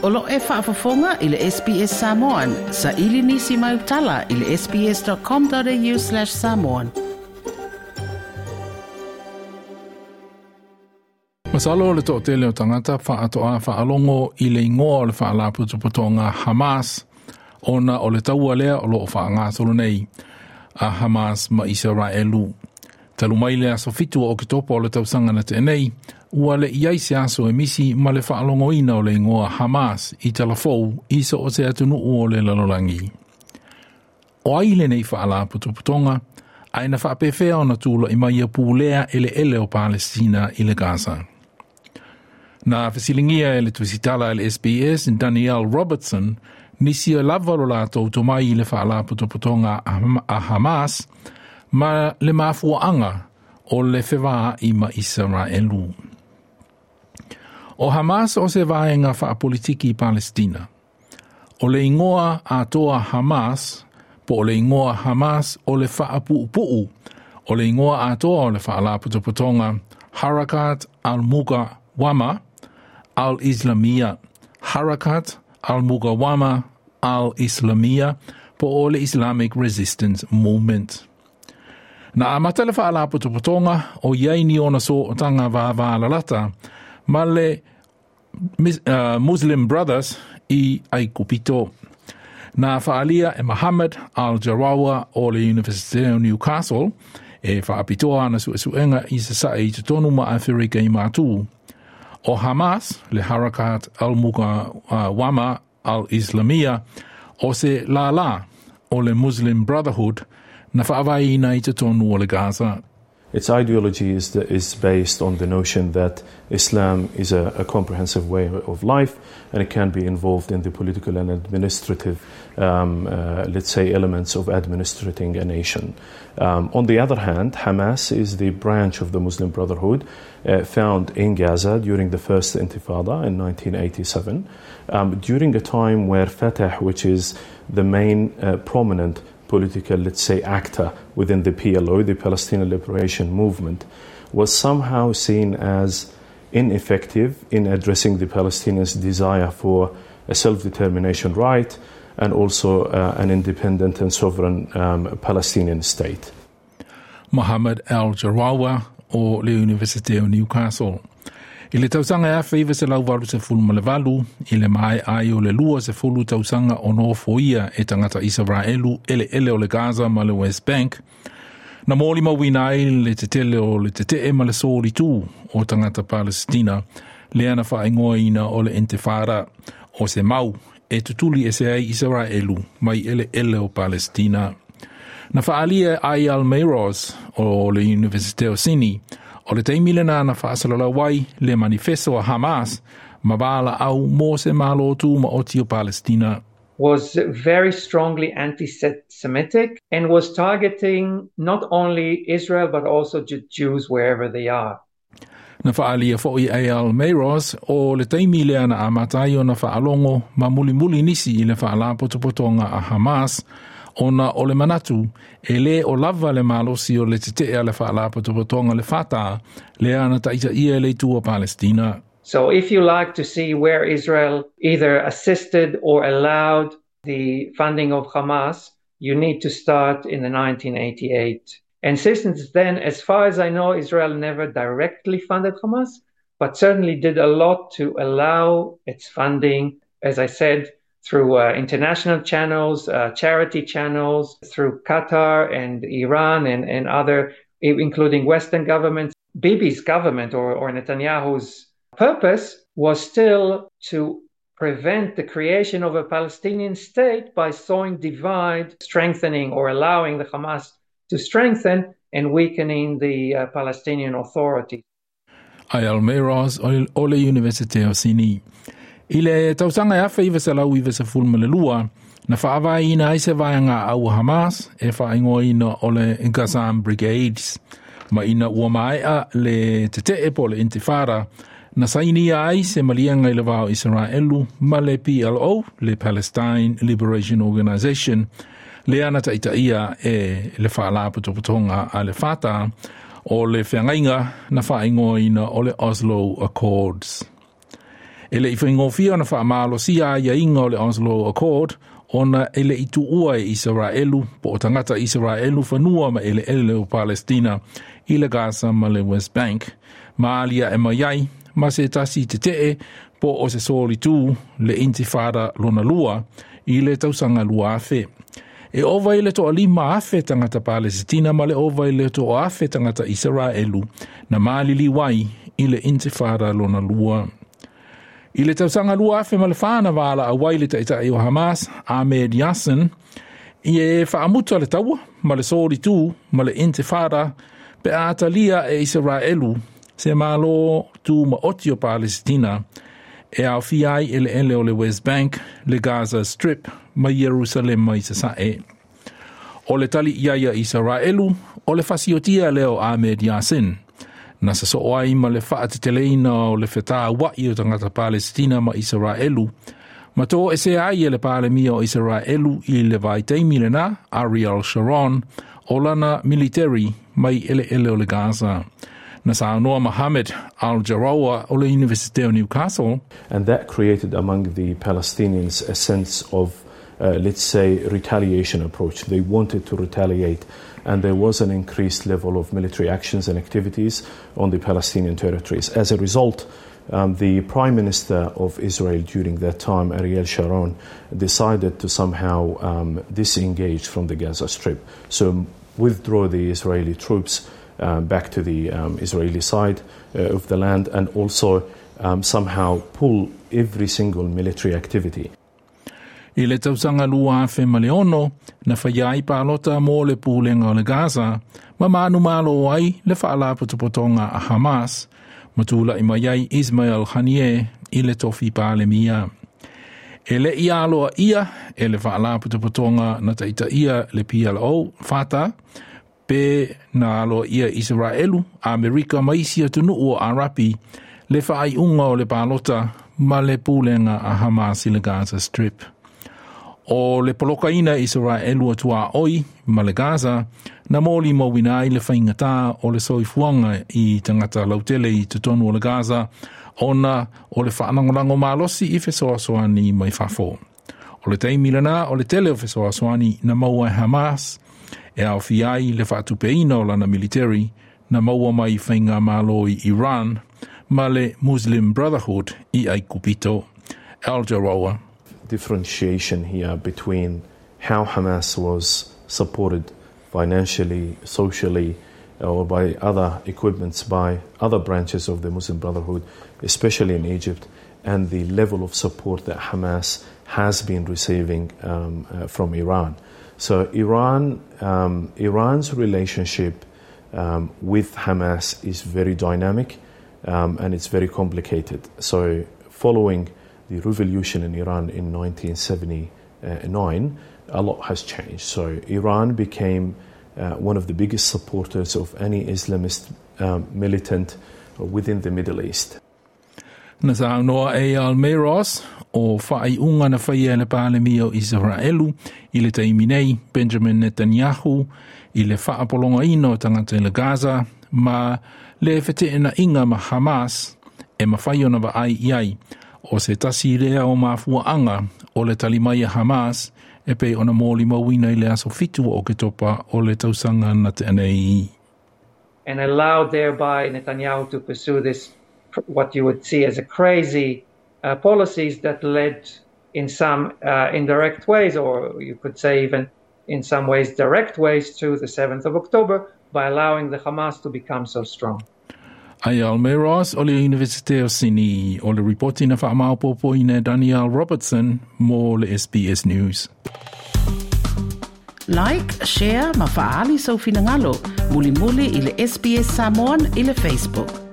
O lo o e faafofoga i le SBS Samoan. Saili nisi mau tala i le sbs.com.au/samoan. Masalo o le toatele o tagata faatoa faalogo i le igoa o le faalapotopotoga Hamas ona o le taua lea o lo o faagasolo nei a Hamas ma Isaraelu. Talu mai le aso 7 o Oketopa o le tausaga na tea nei, ua le i ai se aso e misi ma le faalogoina o le igoa Hamas i talafou i so o se atunuu o le lalolagi. O ai lenei faalapotopotoga, ae na faapefea ona tula'i mai ia pulea eleele o Palestina i le Gaza. Na fesiligia e le tusitala a le SBS Danielle Robertson nisi e lava lo latou tomai i le faalapotopotoga a Hamas ma le mafuaaga o le fevaa'i ma Isaraelu. O Hamas o se vaega faapolitiki i Palestina. O le igoa atoa Hamas, po o le igoa Hamas o le faapuupuu o le igoa atoa o le faalapotopotoga Harakat al-Mukawama al-Islamia, Harakat al-Mukawama al-Islamia, po o le Islamic Resistance Movement. Na amata le faalapotopotoga o i ai ni ona sootaga vavalalata ma le Muslim Brothers i Aikupito. Na faaalia e Mohammed Al-Jarawa o le Universite o Newcastle e faapitoa ana suesuega i Sasae i totonu ma Aferika i Matu. O Hamas, le Harakat al-Mukawama al-Islamia, o se lālā o le Muslim Brotherhood na faavaeina i totonu o le Gaza. Its ideology is based on the notion that Islam is a comprehensive way of life and it can be involved in the political and administrative, let's say, elements of administrating a nation. On the other hand, Hamas is the branch of the Muslim Brotherhood found in Gaza during the first Intifada in 1987, during a time where Fatah, which is the main prominent political, let's say, actor within the PLO, the Palestinian Liberation Movement, was somehow seen as ineffective in addressing the Palestinians' desire for a self-determination right and also an independent and sovereign Palestinian state. Mohammed Al-Jarawa o le Universite o Newcastle. I le tausaga e 1988, i le maea ai o le 20 tausaga o nofoia e tagata Isaraelu eleele o le Gaza ma le West Bank, na molimauina ai le tetele o le tetee ma le solitū o tagata Palestina, lea na faaigoaina o le Intifada, o se mau e tutuli ese ai Isaraelu mai eleele o Palestina. Na faaalia e Eyal Meroz o le Universite o Sini, o le taimi lena na faasalalau ai le manifesto a Hamas ma valaau mo se Malo Tumaoti o Palestina. Was very strongly anti-Semitic and was targeting not only Israel but also Jews wherever they are. Na faaalia foi e Eyal Meroz o le taimi lea na amata ai ona faalogo ma mulimuli nisi i le faalapotopotoga a Hamas ona o le manatu e lē o lava le malosi o le tetee a le faalapotopotoga le Fatah lea na taitaia e le itu o Palestina. So if you like to see where Israel either assisted or allowed the funding of Hamas, you need to start in the 1988. And since then, as far as I know, Israel never directly funded Hamas, but certainly did a lot to allow its funding, as I said, through international channels, charity channels, through Qatar and Iran and other, including Western governments. Bibi's government or Netanyahu's purpose was still to prevent the creation of a Palestinian state by sowing divide, strengthening or allowing the Hamas to strengthen and weakening the Palestinian Authority. Eyal Meroz o le Universite o Sini. I le tausaga e 1992, na faavaeina ai se vaega au Hamas e faaigoaina o le Qassam Brigades. Ma ina ua maea le tetee po le Intifada, na sainia ai se maliega i le va o Isaraelu ma le PLO, le Palestine Liberation Organization, lea na taitaia e le faalapotopotoga a le Fatah o le feagaiga na faaigoaina o le Oslo Accords. E le'i faigofie ona faamalosia aiaiga o le Oslo Accord ona e le'i tuua e Isaraelu po o tagata Isaraelu fanua ma eleele o Palestina i le Gaza ma le West Bank, ma alia'e mai ai ma se tasi tete'e po o se solitū le Intifada lona lua i le tausaga 2000. E ova i le 5,000 tagata Palesitina ma le ova i le 1,000 tagata Isaraelu na maliliu ai i le Intifada lona lua. I le tausaga 2004 na valaau ai le taitai o Hamas, Ahmed Yassin, e faamuta le taua ma le solitū ma le Intifada pe a talia e Isaraelu se Malo tumaoti o Palesitina e aofia ai eleele o le West Bank, le Gaza Strip ma Ierusalema i Sasa'e. O le tali i ai a Isaraelu, o le fasiotia lea o Ahmed Yassin, na sosoo ai ma le faateteleina o le fetaua'i o tagata Palesitina ma Isaraelu, ma toesea ai e le Palemia o Isaraelu i le vaitaimi lenā, Ariel Sharon, o lana militeri mai eleele o le Gaza. Na saunoa Mohammed Al-Jarrawa o le Universite o Newcastle. And that created among the Palestinians a sense of, let's say, retaliation approach. They wanted to retaliate, and there was an increased level of military actions and activities on the Palestinian territories. As a result, the Prime Minister of Israel during that time, Ariel Sharon, decided to somehow disengage from the Gaza Strip. So withdraw the Israeli troops back to the Israeli side of the land and also somehow pull every single military activity. I le tausaga 2006, na faia ai palota mo le pulega o le Gaza, ma manumalo ai le faalapotopotoga a Hamas, ma tula'i mai ai Ismail Haniyeh i le tofi Palemia. E le'i aloaia e le faalapotopotoga na taitaia le PLO, Fatah, pe na aloaia Isaraelu, Amerika ma isi atunuu o Arapi le faaiuga o le palota ma le pulega a Hamas i le Gaza Strip. O le polokaina e Isaraelu o tuaoi ma le Gaza na molimauina ai le faigata o le soifuaga i tagata lautele i totonu o le Gaza ona o le faalagolago malosi i fesoasoani mai fafo. O le taimi lenā o le tele o fesoasoani na maua e Hamas e aofia ai le faatupeina o lana militeri na maua mai faigamalo i Iran ma le Muslim Brotherhood i Aikupito. Al Jarrawa. Differentiation here between how Hamas was supported financially, socially, or by other equipments by other branches of the Muslim Brotherhood, especially in Egypt, and the level of support that Hamas has been receiving from Iran. So Iran's relationship with Hamas is very dynamic and it's very complicated. So following the revolution in Iran in 1979, a lot has changed. So Iran became one of the biggest supporters of any Islamist militant within the Middle East. Na saunoa Eyal Meroz, o faaiuga na faia e le Palemia o Isaraelu i le taimi nei, Benjamin Netanyahu, i le faapologaina o tagata i le Gaza ma le feteenaiga ma Hamas e mafai ona vaai i ai o se tasi lea o mafuaaga o le tali mai a Hamas e pei ona molimauina i le aso 7 o Oketopa o le tausaga na tea nei. And allowed thereby Netanyahu to pursue this, what you would see as a crazy policies that led in some indirect ways, or you could say even in some ways direct ways, to the 7th of October by allowing the Hamas to become so strong. Eyal Meroz o le Universite o Sini o le ripoti na faamaopoopoina e Danielle Robertson mo le SBS News. Like, share ma faaali sou finagalo. Mulimuli i le SBS Samoan i le Facebook.